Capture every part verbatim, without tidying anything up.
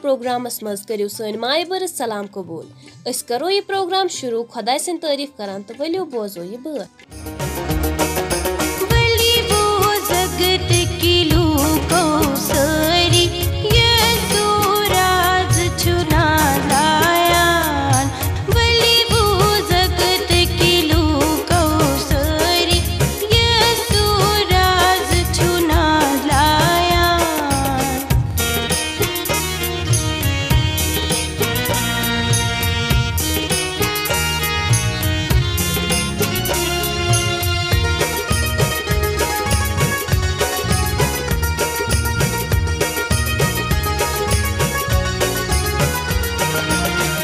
Programmes منٛز کٔرِو سٲنۍ مایہِ بٔرٕژ سلام قبوٗل۔ أسۍ کرو یہِ پروگرام شروع خۄداے سٕنٛدۍ تعریٖف کران تہٕ ؤلِو بوزو یہِ بٲتھ۔ بلی بوزگت کی لوکو ساری، یسوع راز چھُ نازلایان۔ بلی بوزگت کی لوکو ساری، یسوع راز چھُ نازلایان۔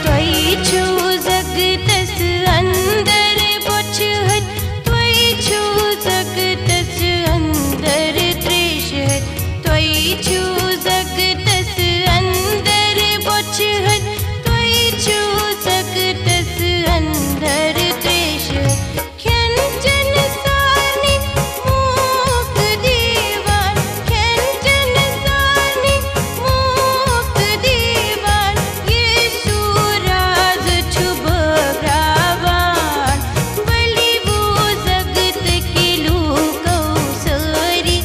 تۄہہِ چھُو زگتس اندر بۄچھِ ہتۍ، تۄہہِ چھُو زگتس اندر تریشہِ ہتۍ، تۄہہِ چھُو زگتس اندر بۄچھِ ہتۍ، تۄہہِ چھُو زگتس اندر تریشہِ ہتۍ۔ کھٮ۪ن چٮ۪ن سارنٕے موقعہٕ دِوان، کھٮ۪ن چٮ۪ن سارنٕے موقعہٕ دِوان، یسوع راز چھُ بٲگراوان۔ بلی بوزگت کی لوکو ساری،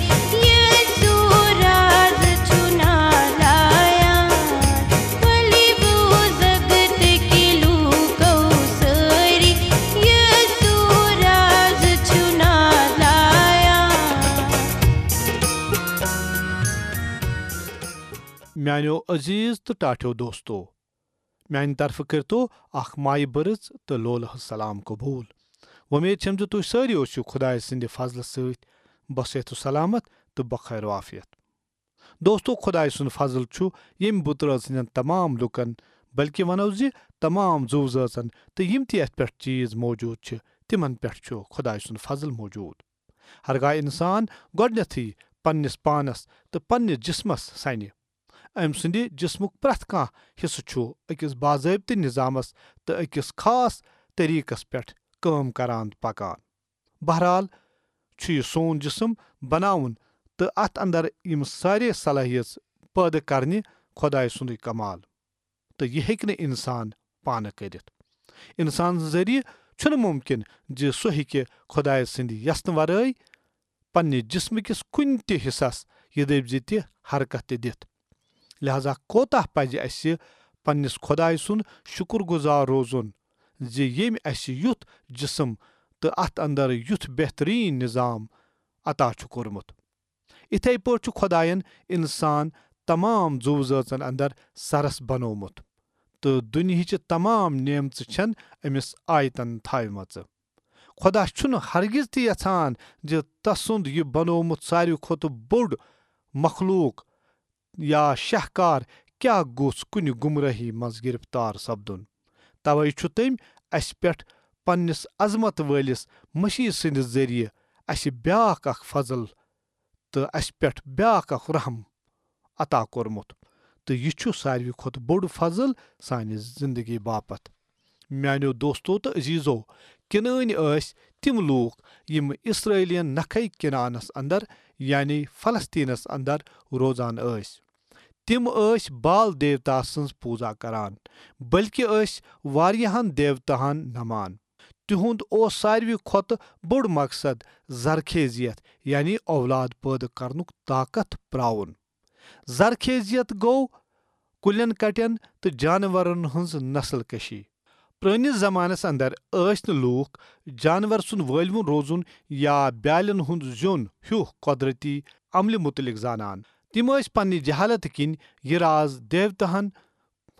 یسوع راز چھُ نازلایان۔ بلی بوزگت کی لوکو ساری، یسوع راز چھُ نازلایان۔ میانیو عزیز تہٕ ٹاٹھیو دوستو، میانہِ طرفہٕ کٔرتو اکھ مایہِ بٔرٕژ تہٕ لولہٕ سلام قبوٗل۔ وۄمید چھم زِ تُہۍ سٲری ٲسِو خۄدایہِ سٕنٛدِ فضلہٕ سۭتۍ بصحت و سلامت تہٕ بخیر و عافیت۔ دوستو، خۄدایہِ سُنٛد فضل چھُ ییٚمہِ بُتہٕ رٲژ ہٕنٛدٮ۪ن تمام لوٗکن، بلکہِ ونو زِ تمام زُو زٲژن تہٕ یِم تہِ یتھ پٮ۪ٹھ چیٖز موجود چھِ، تِمن پٮ۪ٹھ چھُ خۄدایہِ سُنٛد فضل موجود۔ ہرگاہ انسان گۄڈنیتھٕے پننِس پانس تہٕ پننِس جسمس سنہِ، أمۍ سٕنٛدِ جسمُک پرٛٮ۪تھ کانٛہہ حصہٕ چھُ أکِس باضٲبطہٕ نظامس تہٕ أکِس خاص طریقس پٮ۪ٹھ کٲم کران تہٕ پکان۔ بہرحال، چھُ یہِ سون جسم بناوُن تہٕ اتھ اندر یِم سارے صلٲحیژ پٲدٕ کرنہِ خۄدایہِ سُنٛدُے کمال، تہٕ یہِ ہیٚکہِ نہٕ انسان پانہٕ کٔرِتھ۔ انسان ذٔریعہٕ چھُنہٕ مُمکِن زِ سُہ ہیٚکہِ خۄدایہِ سٕنٛدِ یژھنہٕ ورٲے پننہِ جسمہٕ کِس کُنہِ تہِ حصس یہِ دٔپۍ زِ تہِ حرکت تہِ دِتھ۔ لہذا کوتاہ پزِ اسہِ پننِس خۄدایہِ سُنٛد شُکر گُزار روزُن زِ ییٚمۍ اسہِ یُتھ جسم تہٕ اتھ اندر یُتھ بہترین نظام عطا چھُ کوٚرمُت۔ اِتھے پٲٹھۍ چھُ خۄدایَن انسان تمام زُو زٲژن اندر سرس بنوومُت، تہٕ دُنیہٕچہِ تمام نعمژٕ چھن أمِس آیتن تھاوِمژٕ۔ خۄدا چھُنہٕ ہرگز تہِ یژھان زِ تسُنٛد یہِ بنوومُت ساروی کھۄتہٕ بوٚڑ مخلوق یا شاہکار کیٛاہ گوٚژھ کُنہِ گمرٲہی منٛز گرفتار سپدُن۔ توے چھُ تٔمۍ اسہِ پٮ۪ٹھ پننِس عظمت وٲلِس مسیح سٕنٛدِ ذٔریعہٕ اسہِ بیاکھ اکھ فضل تہٕ اسہِ پٮ۪ٹھ بیاکھ اکھ رحم عطا کوٚرمُت، تہٕ یہِ چھُ ساروی کھۄتہٕ بوٚڑ فضل سانہِ زندگی باپتھ۔ میانیو دوستو تہٕ عزیزو، کنعٲنۍ ٲسۍ تِم لوٗکھ یِم اسرائیلین نکھے کنعانس اندر، یعنی فلسطینس اندر روزان ٲسۍ۔ تِم ٲسۍ بال دیوتا سٕنٛز پوٗزا کران، بلکہِ ٲسۍ واریاہن دیوتاہن نمان۔ تِہُنٛد اوس ساروی کھۄتہٕ بوٚڑ مقصد زرخیزیت، یعنی اولاد پٲدٕ کرنُک طاقت پراوُن۔ زرخیزیت گوٚو کُلٮ۪ن کٹٮ۪ن تہٕ جانورن ہٕنٛز نسل کشی۔ پرٲنِس زمانس اندر ٲسۍ نہٕ لوٗکھ جانور سُنٛد وٲلوُن روزُن یا بیالٮ۪ن ہُنٛد زیُن ہیُو قۄدرتی عملہِ مُتعلق زانان۔ تِم ٲسۍ پننہِ جہالت کِنۍ یہِ راز دیوتاہن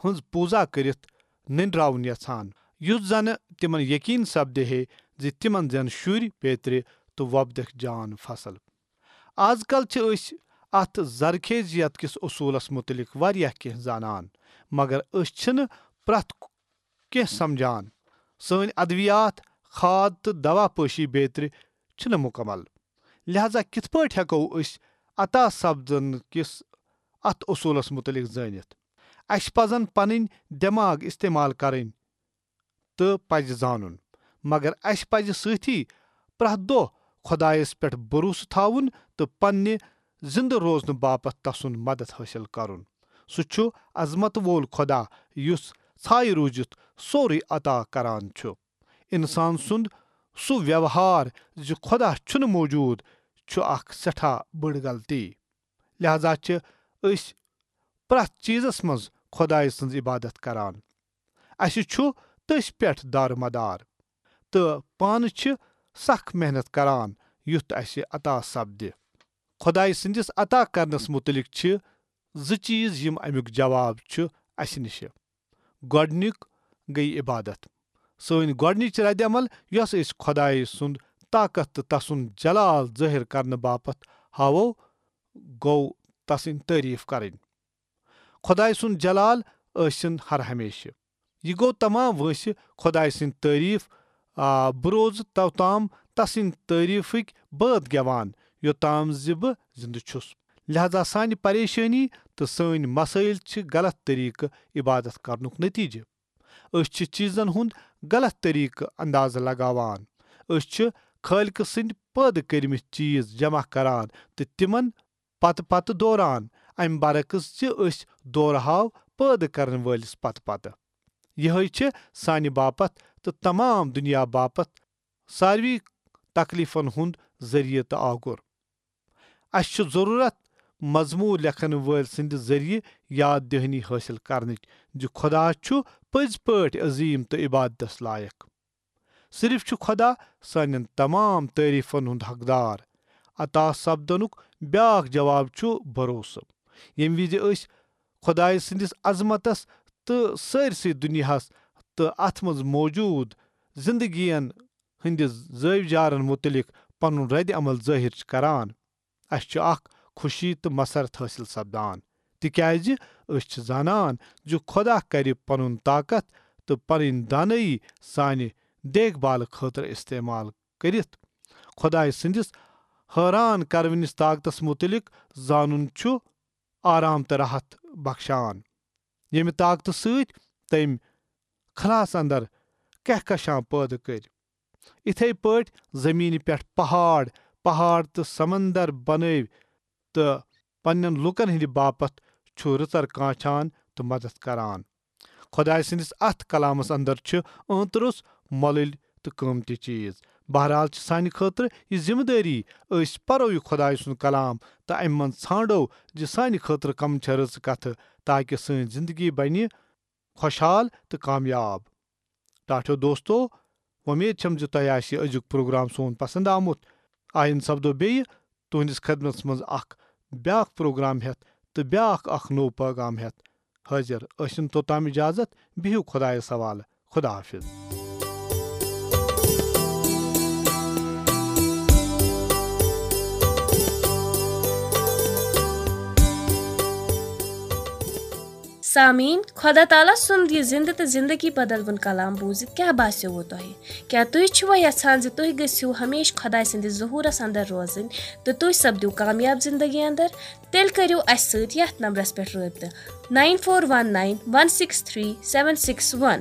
ہٕنٛز پوٗزا کٔرِتھ نٔنٛڈراوُن یژھان، یُتھ زنہٕ تِمن یقین سپدِ ہے زِ تِمن زٮ۪ن شُرۍ پیترِ تہٕ وۄپدکھ جان فصل۔ از کل چھِ أسۍ اتھ زرخیزیت کِس اصوٗلس مُتعلق واریاہ کینٛہہ زانان، مگر أسۍ چھِنہٕ پرٛٮ۪تھ کینٛہہ سمجھان۔ سٲنۍ ادویات، کھاد تہٕ دوا پٲشی بیترِ چھِنہٕ مُکمل۔ لہذا کِتھ پٲٹھۍ ہٮ۪کو أسۍ عطا سپدن کِس اتھ اصوٗلس مُتعلق زٲنِتھ؟ اسہِ پزن پنٕنۍ دٮ۪ماغ استعمال کرٕنۍ تہٕ پزِ زانُن، مگر اسہِ پزِ سۭتی پرٛٮ۪تھ دۄہ خۄدایس پٮ۪ٹھ بھروسہٕ تھاوُن تہٕ پننہِ زِندٕ روزنہٕ باپتھ تسُنٛد مدد حٲصِل کرُن۔ سُہ چھُ عظمت وول خۄدا، یُس ژھایہِ روٗزِتھ سورُے عطا کران چھُ۔ انسان سُنٛد سُہ ویوہار زِ خۄدا چھُنہٕ موجود، چھُ اکھ سٮ۪ٹھاہ بٔڑ غلطی۔ لہذا چھِ أسۍ پرٛٮ۪تھ چیٖزس منٛز خۄدایہِ سٕنٛز عبادت کران۔ اَسہِ چھُ تٔسۍ پٮ۪ٹھ دارمدار تہٕ پانہٕ چھِ سخ محنت کران، یُتھ اَسہِ عطا سپدِ۔ خۄدایہِ سٕنٛدِس عطا کرنس مُتعلق چھِ زٕ چیٖز، یِم اَمیُک جواب چھُ اَسہِ نِش۔ گۄڈٕنیُک گٔیہِ عبادت۔ سٲنۍ گۄڈٕنِچ ردِ عمل، یۄس أسۍ خۄدایہِ سُنٛد طاقت تہٕ تسُنٛد جلال ظٲہِر کرنہٕ باپتھ ہاوو، گوٚو تسٕنٛدۍ تعریٖف کرٕنۍ۔ خۄدایہِ سُنٛد جلال ٲسِن ہر ہمیشہٕ۔ یہِ گوٚو تمام وٲنٛسہِ خۄدایہِ سٕنٛدۍ تعریٖف، آ، بہٕ روزٕ توتام تسٕنٛدۍ تعریٖفٕکۍ بٲتھ گٮ۪وان، یوٚتام زِ بہٕ زِنٛدٕ چھُس۔ لہذا سانہِ پریشٲنی تہٕ سٲنۍ مسٲیل چھِ غلط طریٖقہٕ عبادت کرنُک نتیجہٕ۔ أسۍ چھِ چیٖزن ہُنٛد غلط طریٖقہٕ اندازٕ لگاوان۔ أسۍ چھِ خٲلقہٕ سٕنٛدۍ پٲدٕ کٔرمٕتۍ چیٖز جمع کران تہٕ تِمن پتہٕ پتہٕ دوران، امہِ برعکس زِ أسۍ دورہاو پٲدٕ کرن وٲلِس پتہٕ پتہٕ۔ یِہے چھِ سانہِ باپتھ تہٕ تمام دُنیا باپتھ ساروی تکلیفن ہُنٛد ذٔریعہٕ تہٕ آگُر۔ اسہِ چھُ ضروٗرت مضموٗر لیکھن وٲلۍ سٕنٛدِ ذٔریعہٕ یاد دہانی حٲصِل کرنٕچ زِ خۄدا چھُ پٔزۍ پٲٹھۍ عظیٖم تہٕ عبادتس لایق۔ صرف چھُ خۄدا سانٮ۪ن تمام تعریفن ہُنٛد حقدار۔ عطا سپدنُک بیاکھ جواب چھُ بھروسہٕ۔ ییٚمہِ وِزِ أسۍ خۄدایہِ سٕنٛدِس عظمتس تہٕ سٲرسٕے دُنیاہس تہٕ اتھ منٛز موجود زندگین ہٕنٛدِ زٲوۍ جارن مُتعلق پنُن رد عمل ظٲہِر چھِ کران، اسہِ چھُ اکھ خوشی تہٕ مسرت حٲصِل سپدان، تِکیازِ أسۍ چھِ زانان زِ خۄدا کرِ پنُن طاقت تہٕ پنٕنۍ دانٲیی سانہِ دیکھ بھال خٲطرٕ استعمال کٔرِتھ۔ خۄدایہِ سٕنٛدِس حٲران کرونِس طاقتس مُتعلق زانُن چھُ آرام تہٕ راحت بخشان، ییٚمہِ طاقتہٕ سۭتۍ تٔمۍ خلاہس اندر کہکشاں پٲدٕ کٔرۍ۔ اِتھے پٲٹھۍ زمینہِ پٮ۪ٹھ پہاڑ، پہاڑ تہٕ سمندر بنٲوۍ تہٕ پننٮ۪ن لوٗکن ہٕنٛدِ باپتھ چھُ رٕژر کانچھان تہٕ مدد کران۔ خۄدایہِ سٕنٛدِس اتھ کلامس اندر چھِ ٲنٛتہٕ روٚس مۄلٕلۍ تہٕ قۭمتی چیٖز۔ بہرحال چھِ سانہِ خٲطرٕ یہِ ذمہٕ دٲری أسۍ پرو یہِ خۄدایہِ سُنٛد کلام تہٕ امہِ منٛز ژھانڈو زِ سانہِ خٲطرٕ کم چھےٚ رٕژٕ کتھٕ، تاکہ سٲنۍ زندگی بنہِ خۄشحال تہٕ کامیاب۔ ٹاٹھیو دوستو، وۄمید چھم زِ تۄہہِ آسہِ یہِ أزیُک پروگرام سون پسند آمُت۔ آیند سپدو بیٚیہِ تُہنٛدِس خدمتس منٛز اکھ بیاکھ پروگرام ہٮ۪تھ تہٕ بیاکھ اکھ نوٚو پیغام ہٮ۪تھ حٲضِر۔ ٲسِن توٚتام اجازت، بِہِو خۄدایس حوالہٕ۔ خدا حافظ۔ سامعیٖن، خۄدا تعالیٰ سُنٛد یہِ زِنٛدٕ تہٕ زِنٛدگی بدلوُن کلام بوٗزِتھ کیٛاہ باسیووٕ تۄہہِ؟ کیٛاہ تُہۍ چھِوا یژھان زِ تُہۍ گٔژھِو ہمیشہٕ خۄداے سٕنٛدِس ظہوٗرس اندر روزٕنۍ تہٕ تُہۍ سپدِو کامیاب زِنٛدگی اندر؟ تیٚلہِ کٔرِو اَسہِ سۭتۍ یَتھ نمبرس پٮ۪ٹھ رٲبطہٕ، nine four one nine one six three seven six one۔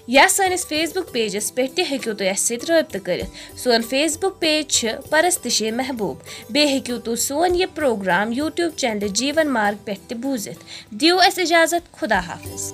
یا سٲنِس Facebook pageس پٮ۪ٹھ تہِ ہیٚکِو تُہۍ اَسہِ سۭتۍ رٲبطہٕ کٔرِتھ۔ سون Facebook page چھِ پرستشِ محبوب۔ بیٚیہِ ہیٚکِو تُہۍ سون یہِ پروگرام YouTube چینلہِ جیٖون مارگ پٮ۪ٹھ تہِ بوٗزِتھ۔ دِیِو اَسہِ اِجازت۔ خدا حافظ۔